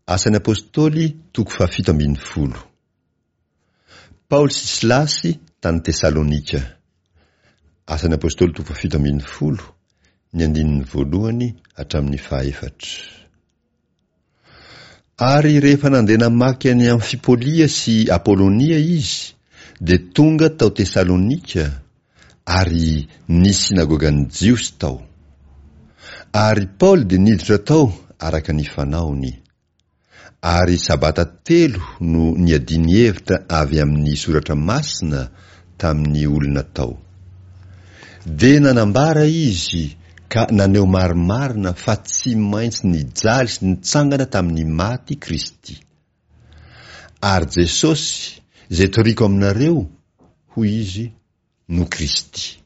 Asan'ny Apostoly toko fahafito ambin'ny folo. Paoly sy Silasy tany Tesalonika. Asan'ny Apostoly toko fahafito ambin'ny folo, ny andininy voalohany hatramin'ny fahaefatra. Ary rehefa nandeha namaky an'i Amfipolia sy Apolonia izy, dia tonga tao Tesalonika, ary nisy synagogan'ny Jiosy tao. Ary Paoly dia niditra tao araka ny fanaony. Ary Sabata telo no niadiany hevitra avy amin'ny Soratra Masina tamin'ny olona tao. Dia nanambara izy ka naneho marimarina fa tsy maintsy nijaly sy nitsangana tamin'ny maty Kristy. Ary Jesosy, izay toriko aminareo, hoy izy, no Kristy.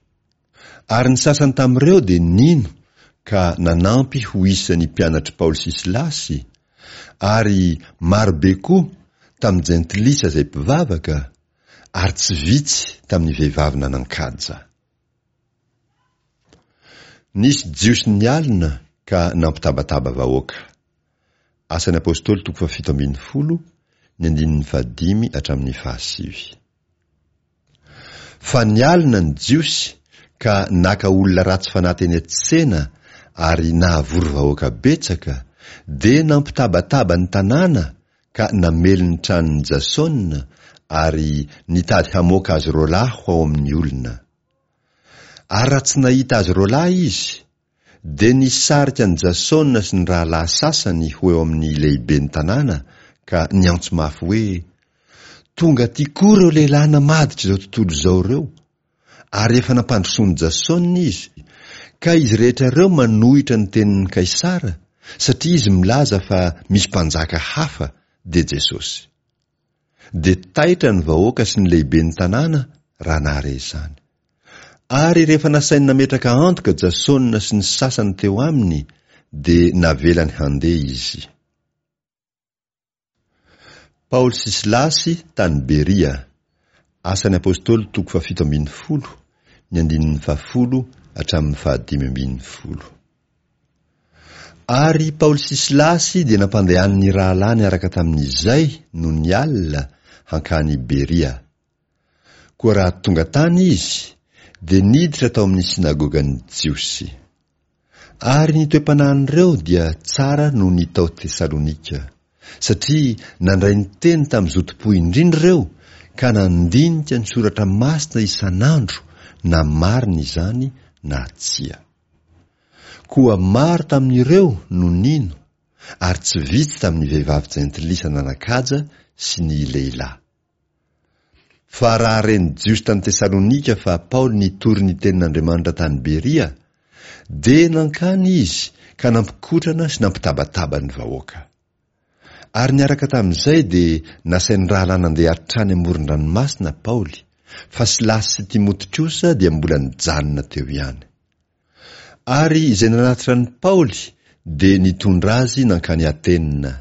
Ary ny sasany tamin'ireo dia nino ka nanampy ho isan'ny mpianatr'i Paoly sy Silasy, ary marobe koa tamin'ny jentilisa izay mpivavaka, ary tsy vitsy tamin'ny vehivavy nanan-kaja. Nisy Jiosy nialona ka nampitabataba vahoaka. Asan'ny Apostoly toko fahafito ambin'ny folo, ny andininy fahadimy hatramin'ny fahasivy. Fa nialona ny Jiosy ka naka olona ratsy fanahy teny an-tsena ary nahavory vahoaka betsaka, dia nampitabataba ny tanàna ka namely ny tranon'i Jasona ary nitady hamoaka azy roalahy ho ao amin'ny olona. Ary raha tsy nahita azy roalahy izy, dia nisarika an'i Jasona sy ny rahalahy sasany ho eo amin'ny lehiben'ny tanàna ka niantso mafy hoe, Tonga aty koa ireo lehilahy namadika izao tontolo izao ireo, ary efa nampandrosoan'i Jasona izy, ka izy rehetra ireo manohitra ny tenin'i Kaisara, satria izy milaza fa misy mpanjaka hafa, dia Jesosy. Dia taitra ny vahoaka sy ny lehiben'ny tanàna raha nahare izany. Ary rehefa nasainy nametraka antoka Jasona sy ny sasany teo aminy, dia navelany handeha izy. Paoly sy Silasy tany Beria. Asan'ny Apostoly toko fahafito ambin'ny folo, ny andininy fahafolo hatramin'ny fahadimy ambin'ny folo. Ary Paoly sy Silasy dia nampandehanin'ny rahalahy niaraka tamin'izay nony alina hankany Beria. Koa raha tonga tany izy, dia niditra tao amin'ny synagogan'ny Jiosy. Ary ny toe-panahin'ireo dia tsara noho ny tao Tesalonika, satria nandray ny teny tamin'ny zotom-po indrindra ireo ka nandinika ny Soratra Masina isan'andro na marina izany na tsia. Koa maro tamin'ireo no nino, ary tsy vitsy tamin'ny vehivavy jentilisa nanan-kaja sy ny lehilahy. Fa raha ren'ny Jiosy tany Tesalonika fa Paoly nitory ny tenin'Andriamanitra tany Beria, dia nankany izy ka nampikotrana sy nampitabataba ny vahoaka. Ary niaraka tamin'izay dia nasain'ny rahalahy nandeha hatrany amoron-dranomasina Paoly, fa Silasy sy Timoty kosa dia mbola nijanona teo ihany. Ary izay nanatitra an'i Paoly dia nitondra azy nankany Atena.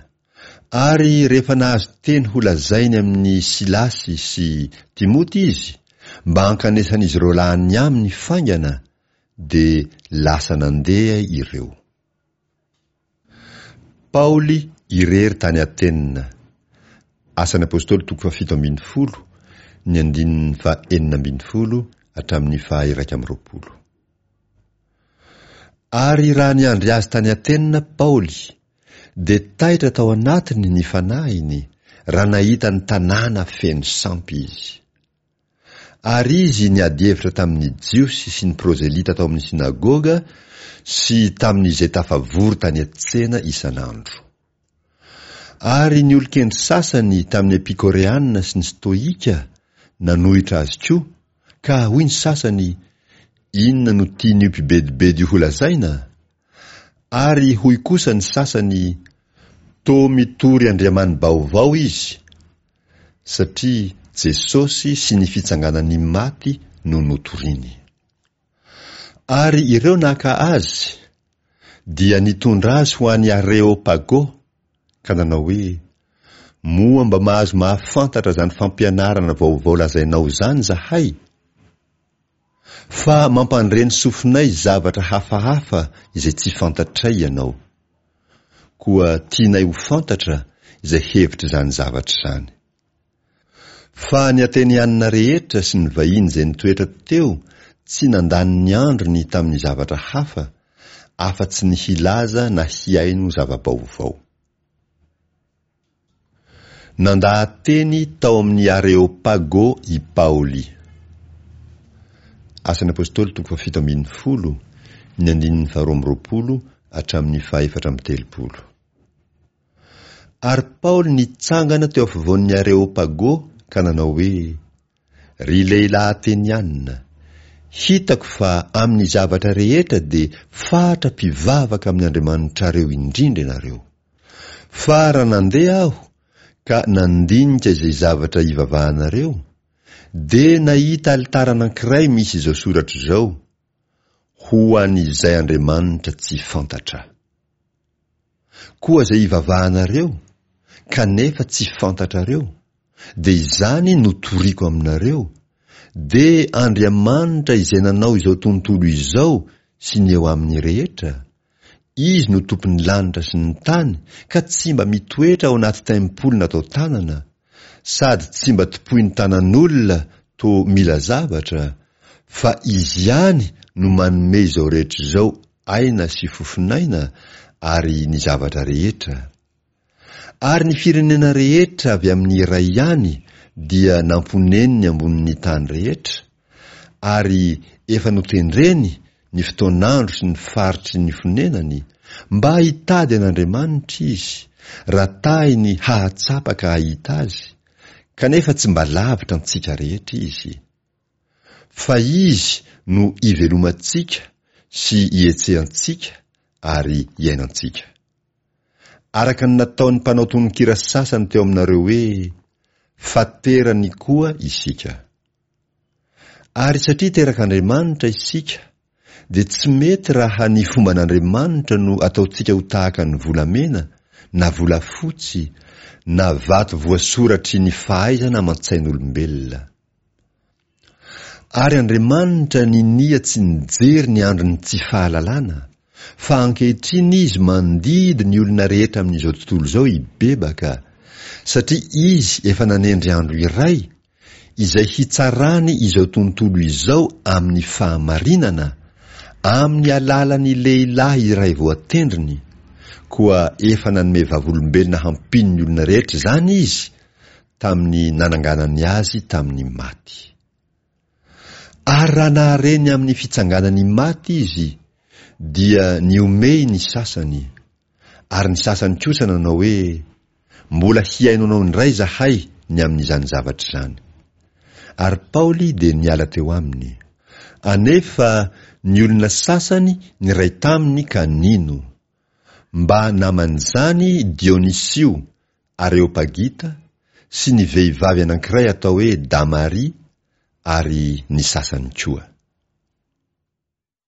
Ary rehefa nahazo teny holazainy amin'i Silasy sy Timoty izy, mba hankanesan'izy ireo lahy aminy faingana, dia lasa nandeha ireo. Paoly irery tany Atena. Asan'ny Apostoly toko fahafito ambin'ny folo, ny andininy fahenina ambin'ny folo hatramin'ny faha-iraika amby roapolo. Ary raha niandry azy tany Atena Paoly, dia taitra tao anatiny ny fanahiny raha nahita ny tanàna feno sampy izy. Ary izy niady hevitra tamin'ny Jiosy sy ny prozelita tao amin'ny synagoga sy tamin'izay tafavory tany an-tsena isan'andro. Ary ny olon-kendry sasany tamin'ny Epikoreana sy ny Stoika nanohitra azy koa, ka hoy ny sasany, Inona no tian'io mpibedibedy io holazaina? Ary hoy kosa ny sasany, Toa mitory andriamani-baovao izy, satria Jesosy sy ny fitsanganan'ny maty no notoriny. Ary ireo naka azy, dia nitondra azy ho any Areopago, ka nanao hoe, Moa mba mahazo mahafantatra izany fampianarana vaovao lazainao izany izahay? Fa mampandre ny sofinay zavatra hafahafa izay tsy fantatray ianao. Koa tianay ho fantatra izay hevitr'izany zavatra izany. Fa ny Atenianina rehetra sy ny vahiny izay nitoetra teo tsy nandany ny androny tamin'ny zavatra hafa afa-tsy ny hilaza na hihaino zava-baovao. Nandaha-teny tao amin'ny Areopago i Paoly. Asan'ny Apostoly toko fahafito ambinifolo, ny andininy faharoa amby roapolo hatramin'ny fahefatra amby telopolo. Ary Paoly nitsangana teo afovoan'ny Areopago ka nanao hoe, Ry lehilahy Ateniana, hitako fa amin'ny zavatra rehetra dia fatra mpivavaka amin'ny andriamanitrareo indrindra ianareo. Fa raha nandeha aho ka nandinika izay zavatra ivavahanareo, dia nahita alitara anankiray misy izao soratra izao, Ho an'izay Andriamanitra tsy fantatra. Koa izay ivavahanareo, kanefa tsy fantatrareo, dia izany no toriko aminareo, dia Andriamanitra izay nanao izao tontolo izao sy ny eo aminy rehetra, Izy no tompon'ny lanitra sy ny tany ka tsy mba mitoetra ao anaty tempoly natao tanana, sady tsy mba tompoin'ny tanan'olona toa mila zavatra, fa Izy ihany no manome izao rehetra izao aina sy fofon'aina ary ny zavatra rehetra. Ary ny firenena rehetra avy amin'ny iray ihany dia namponeniny ambonin'ny tany rehetra, ary efa notendreny ny fotoan'andro sy ny faritry ny fonenany, mba hitady an'Andriamanitra izy, raha tahiny hahatsapa ka hahita Azy, kanefa tsy mba lavitra antsika rehetra Izy. Fa Izy no ivelomantsika sy ihetsehantsika ary iainantsika. Araka ny nataon'ny mpanao tononkira sasany teo aminareo hoe, Fa terany koa isika. Ary satria terak'Andriamanitra isika, dia tsy mety raha ny fomban'Andriamanitra no ataontsika ho tahaka ny volamena na volafotsy na vato voasoratry ny fahaizana aman-tsain'olombelona. Ary Andriamanitra ninia tsy nijery ny andron'ny tsy fahalalana, fa ankehitriny Izy mandidy ny olona rehetra amin'izao tontolo izao hibebaka, satria Izy efa nanendry andro iray, izay hitsarany izao tontolo izao amin'ny fahamarinana, amin'ny alalan'ny lehilahy iray voatendriny, koa efa nanome vavolombelona hampino ny olona rehetra izany Izy, tamin'ny nananganany azy tamin'ny maty. Ary raha nahare ny amin'ny fitsanganan'ny maty izy, dia nihomehy ny sasany, ary ny sasany kosa nanao hoe, Mbola hihaino anao indray izahay ny amin'izany zavatra izany. Ary Paoly dia niala teo aminy. Anefa ny olona sasany niray taminy ka nino. Mba naman'izany Dionysio Areopagita sy ny vehivavy anankiray atao hoe Damaria ary ny sasany koa.